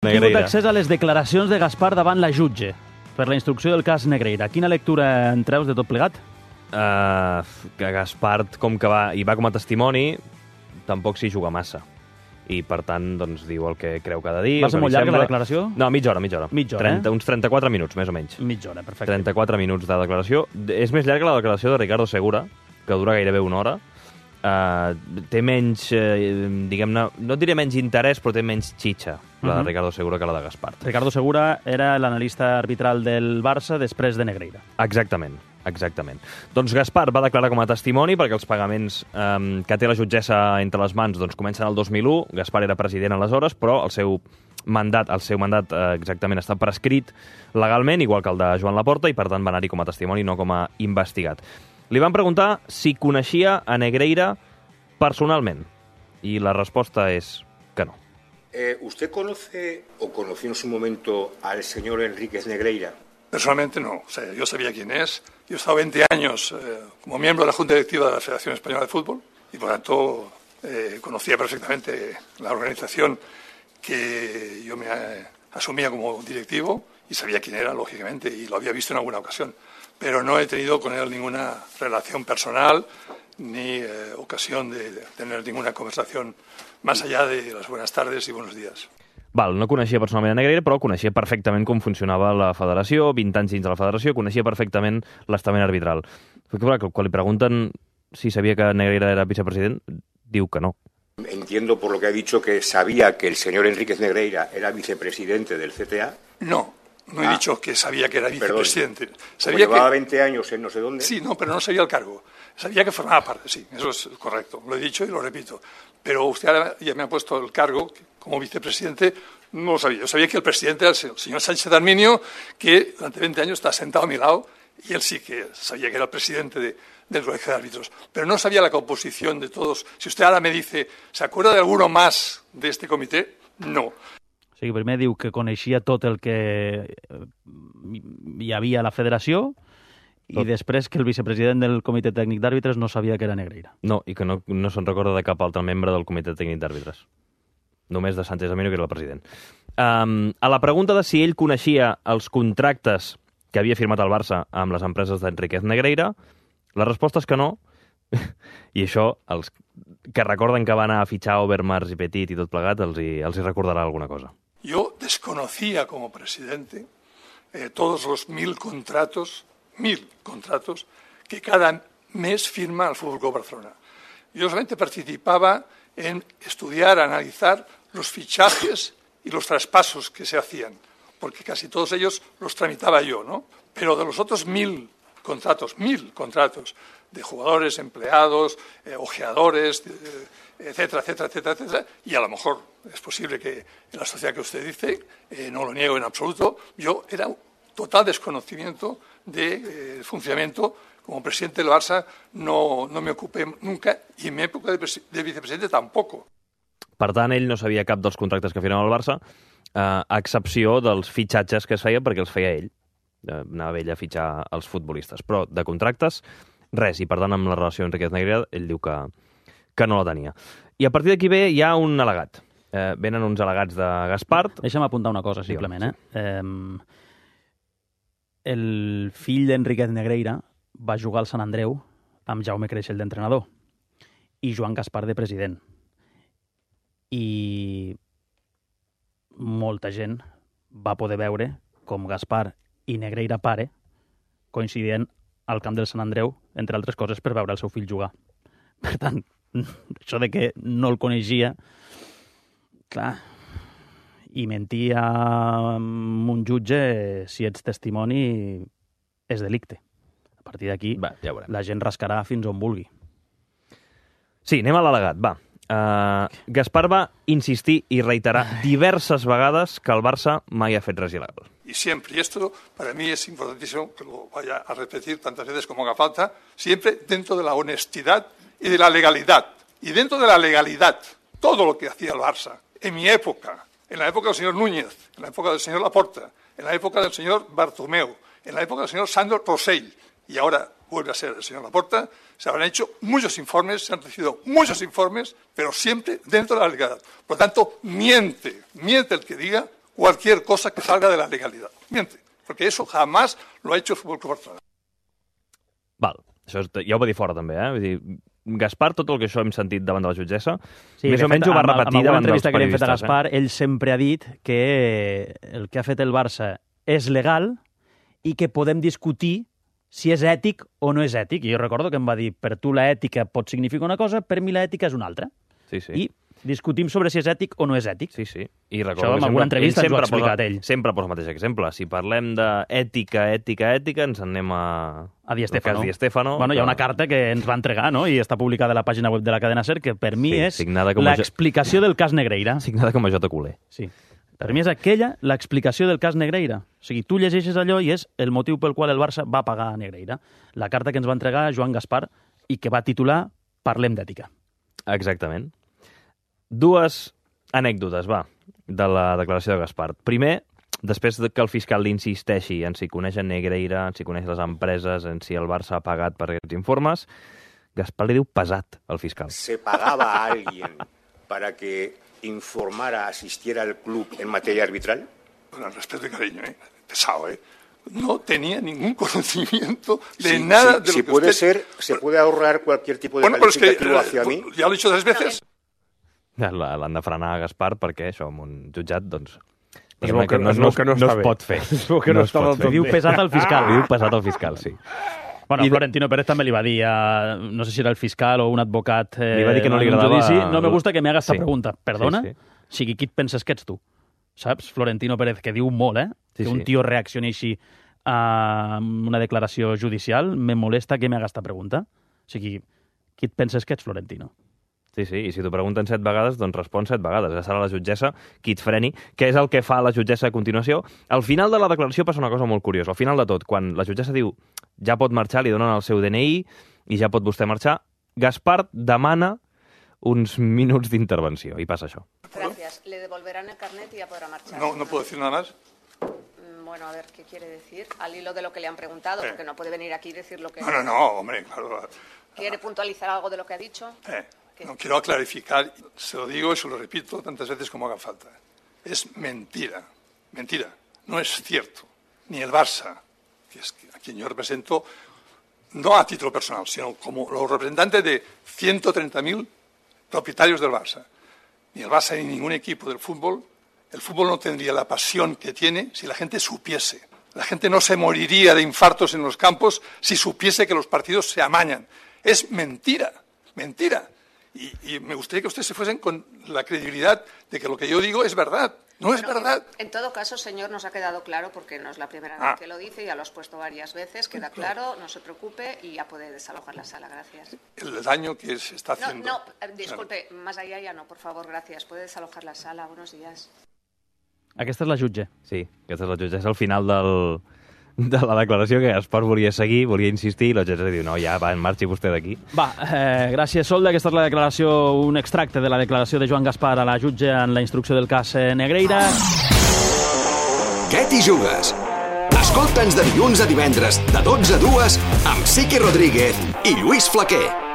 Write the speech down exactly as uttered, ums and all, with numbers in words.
He tingut accés a les declaracions de Gaspar davant la jutge per la instrucció del cas Negreira. Quina lectura en treus de tot plegat? Uh, que Gaspar, com que va, hi va com a testimoni, tampoc s'hi juga massa. I, per tant, doncs, diu el que creu que ha de dir. Va ser molt llarga la declaració? No, mitja hora, mitja hora. Mitja hora, trenta, eh? Uns trenta-quatre minuts, més o menys. Mitja hora, perfecte. trenta-quatre minuts de declaració. És més llarga la declaració de Ricardo Segura, que dura gairebé una hora. Uh, té menys, uh, diguem-ne, no et diré menys interès, però té menys xitxa, la de Ricardo Segura, que la de Gaspar. Ricardo Segura era l'analista arbitral del Barça després de Negreira. Exactament, exactament. Doncs Gaspar va declarar com a testimoni perquè els pagaments um, que té la jutgessa entre les mans doncs, comencen el dos mil u. Gaspar era president aleshores, però el seu mandat, el seu mandat uh, exactament està prescrit legalment, igual que el de Joan Laporta, i per tant va anar-hi com a testimoni, no com a investigat. Li van preguntar si coneixia a Negreira personalment, i la resposta és que no. Eh, ¿Usted conoce o conoció en su momento al señor Enríquez Negreira? Personalmente no. O sea, yo sabía quién es. Yo he estado veinte años eh, como miembro de la Junta Directiva de la Federación Española de Fútbol y, por tanto, eh, conocía perfectamente la organización que yo me eh, asumía como directivo y sabía quién era, lógicamente, y lo había visto en alguna ocasión. Pero no he tenido con él ninguna relación personal ni eh, ocasión de, de tener ninguna conversación más allá de las buenas tardes y buenos días. Val, no coneixia personalment a Negreira, però coneixia perfectament com funcionava la federació, vint anys dins de la federació, coneixia perfectament l'estament arbitral. Perquè, quan li pregunten si sabia que Negreira era vicepresident, diu que no. Entiendo por lo que ha dicho que sabía que el señor Enríquez Negreira era vicepresidente del C T A. No. No he ah, dicho que sabía que era vicepresidente. Perdón. Sabía llevaba que... veinte años en no sé dónde. Sí, no, pero no sabía el cargo. Sabía que formaba parte, sí, eso es correcto. Lo he dicho y lo repito. Pero usted ahora ya me ha puesto el cargo como vicepresidente. No lo sabía. Yo sabía que el presidente era el señor Sánchez Arminio, que durante veinte años está sentado a mi lado, y él sí que sabía que era el presidente de, del Colegio de Árbitros. Pero no sabía la composición de todos. Si usted ahora me dice, ¿se acuerda de alguno más de este comité? No. O sigui, primer diu que coneixia tot el que hi havia a la federació i tot. Després que el vicepresident del comitè tècnic d'àrbitres no sabia que era Negreira. No, i que no, no se'n recorda de cap altre membre del comitè tècnic d'àrbitres. Només de Sánchez Arminio, que era el president. Um, a la pregunta de si ell coneixia els contractes que havia firmat el Barça amb les empreses d'Enríquez Negreira, la resposta és que no. I això, els que recorden que van a fitxar Overmars i Petit i tot plegat, els hi, els hi recordarà alguna cosa. Yo desconocía como presidente eh, todos los mil contratos, mil contratos que cada mes firma el Fútbol Club Barcelona. Yo solamente participaba en estudiar, analizar los fichajes y los traspasos que se hacían, porque casi todos ellos los tramitaba yo, ¿no? Pero de los otros mil contratos, mil contratos de jugadores, empleados, eh, ojeadores, eh, etcétera, etcétera, etcétera, etcétera, y a lo mejor es posible que en la sociedad que usted dice, eh, no lo niego en absoluto, yo era un total desconocimiento del de, eh, funcionamiento. Como presidente del Barça no, no me ocupé nunca, i en mi època de, de vicepresidente tampoc. Per tant, ell no sabia cap dels contractes que firmava el Barça, eh, a excepció dels fitxatges que es feia perquè els feia ell. Eh, anava ell a fitxar els futbolistes. Però de contractes, res. I per tant, amb la relació amb Enríquez Negreira, ell diu que, que no la tenia. I a partir d'aquí ve hi ha un al·legat. Eh, venen uns al·legats de Gaspar. Deixa'm apuntar una cosa, simplement. Eh? Eh, el fill d'Enríquez Negreira va jugar al Sant Andreu amb Jaume Creixell d'entrenador i Joan Gaspar de president. I molta gent va poder veure com Gaspar i Negreira pare coincidien al camp del Sant Andreu, entre altres coses, per veure el seu fill jugar. Per tant, això de que no el coneixia, clar, i mentir a un jutge, si ets testimoni, és delicte. A partir d'aquí, ja la gent rascarà fins on vulgui. Sí, anem a l'al·legat, va. Uh, Gaspar va insistir i reiterar diverses vegades que el Barça mai ha fet res il·legal. Y siempre, y esto para mí es importantísimo que lo vaya a repetir tantas veces como haga falta, siempre dentro de la honestidad y de la legalidad. Y dentro de la legalidad, todo lo que hacía el Barça, en mi época, en la época del señor Núñez, en la época del señor Laporta, en la época del señor Bartomeu, en la época del señor Sandro Rosell, y ahora vuelve a ser el señor Laporta, se habrán hecho muchos informes, se han recibido muchos informes, pero siempre dentro de la legalidad. Por lo tanto, miente, miente el que diga cualquier cosa que salga de la legalidad. Miente, porque eso jamás lo ha hecho el Fútbol Club Barcelona. Val, això és, ja ho va dir fora també, eh? Vull dir, Gaspar, tot el que això hem sentit davant de la jutgessa, sí, més o menys ho va repetir davant dels entrevista que li hem fet a periodistes. Gaspar, eh? ell sempre ha dit que el que ha fet el Barça és legal i que podem discutir si és ètic o no és ètic. I jo recordo que em va dir, per tu la ètica pot significar una cosa, per mi la ètica és una altra. Sí, sí. I discutim sobre si és ètic o no és ètic. Sí, sí. I Això en alguna entrevista ens ho ha explicat ell. Sempre posa el mateix exemple. Si parlem d'ètica, ètica, ètica, ens en anem a... A Di Stéfano. Di Stéfano. Bueno, hi ha una carta que ens va entregar, no?, i està publicada a la pàgina web de la cadena SER, que per mi Sí, és signada com a jo- l'explicació del cas Negreira. Signada com a Jota Culer. Sí. Per mi és aquella l'explicació del cas Negreira. O sigui, tu llegeixes allò i és el motiu pel qual el Barça va pagar a Negreira. La carta que ens va entregar Joan Gaspar i que va titular Parlem d'ètica. Exactament. Dues anècdotes, va, de la declaració de Gaspar. Primer, després de que el fiscal li insisteixi en si coneix en Negreira, en si coneix les empreses, en si el Barça ha pagat per aquests informes, Gaspar li diu pesat al fiscal. ¿Se pagaba a alguien para que informara, asistiera al club en materia arbitral? Con el respeto y cariño, ¿eh? Pesado, ¿eh? No tenía ningún conocimiento de Si, nada si, de lo si que puede usted... ser, ¿se puede ahorrar cualquier tipo de Bueno, pero es que, calificativo eh, hacia mí? ya lo he dicho tres veces. La- L'han de frenar a Gaspar perquè això, en un jutjat, doncs... Es diguem-ne veu que- no, es no, veu que no no està es bé. pot fer. Es veu que no es està pot del fer. tot Diu bé. pesat al fiscal. Li diu pesat al fiscal, sí. Bueno, I de- Florentino Pérez també li va dir a, no sé si era el fiscal o un advocat eh, Li va dir que no li en un agradava- judici, no me gusta que me haga esta Sí. pregunta. Perdona? Sí, sí. O sigui, qui et penses que ets tu? Saps? Florentino Pérez, que diu molt, eh? Sí, que un sí. tio reaccioni així a una declaració judicial, me molesta que me haga esta pregunta. O sigui, qui et penses que ets, Florentino? Sí, sí, i si t'ho pregunten set vegades, doncs respon set vegades. Ja serà la jutgessa qui et freni. Què és el que fa la jutgessa a continuació? Al final de la declaració passa una cosa molt curiosa. Al final de tot, quan la jutgessa diu ja pot marxar, li donen el seu D N I i ja pot vostè marxar, Gaspar demana uns minuts d'intervenció i passa això. Gracias. Le devolverán el carnet y ya podrá marchar. No, no puedo decir nada más. Mm, Bueno, a ver, ¿qué quiere decir? Al hilo de lo que le han preguntado, Eh. porque no puede venir aquí y decir lo que... No, no, no, hombre, claro. ¿Quiere puntualizar algo de lo que ha dicho? Eh, ¿Qué? no quiero clarificar, se lo digo y se lo repito tantas veces como haga falta. Es mentira, mentira, no es cierto. Ni el Barça, que es a quien yo represento, no a título personal, sino como los representantes de ciento treinta mil propietarios del Barça. Ni el Barça ni ningún equipo del fútbol, el fútbol no tendría la pasión que tiene si la gente supiese. La gente no se moriría de infartos en los campos si supiese que los partidos se amañan. Es mentira, mentira. Y, y me gustaría que ustedes se fuesen con la credibilidad de que lo que yo digo es verdad. No es Bueno, verdad. En todo caso, señor, nos ha quedado claro, porque no es la primera Ah. vez que lo dice, ya lo has puesto varias veces, queda claro, no se preocupe y ya puede desalojar la sala, gracias. El daño que se está No, haciendo. no, eh, disculpe, más allá ya no, por favor, gracias. Puede desalojar la sala, buenos días. Aquesta és la jutge. Sí, aquesta és la jutgessa al final del, de la declaració que Gaspar volia seguir, volia insistir, i la jutgessa diu, no, ja, va, marxi vostè d'aquí. Va, eh, gràcies, Solda. Aquesta és la declaració, un extracte de la declaració de Joan Gaspar a la jutge en la instrucció del cas eh, Negreira. Què t'hi jugues? Escolta'ns de dilluns a divendres, de dotze a dues, amb Siqui Rodríguez i Lluís Flaquer.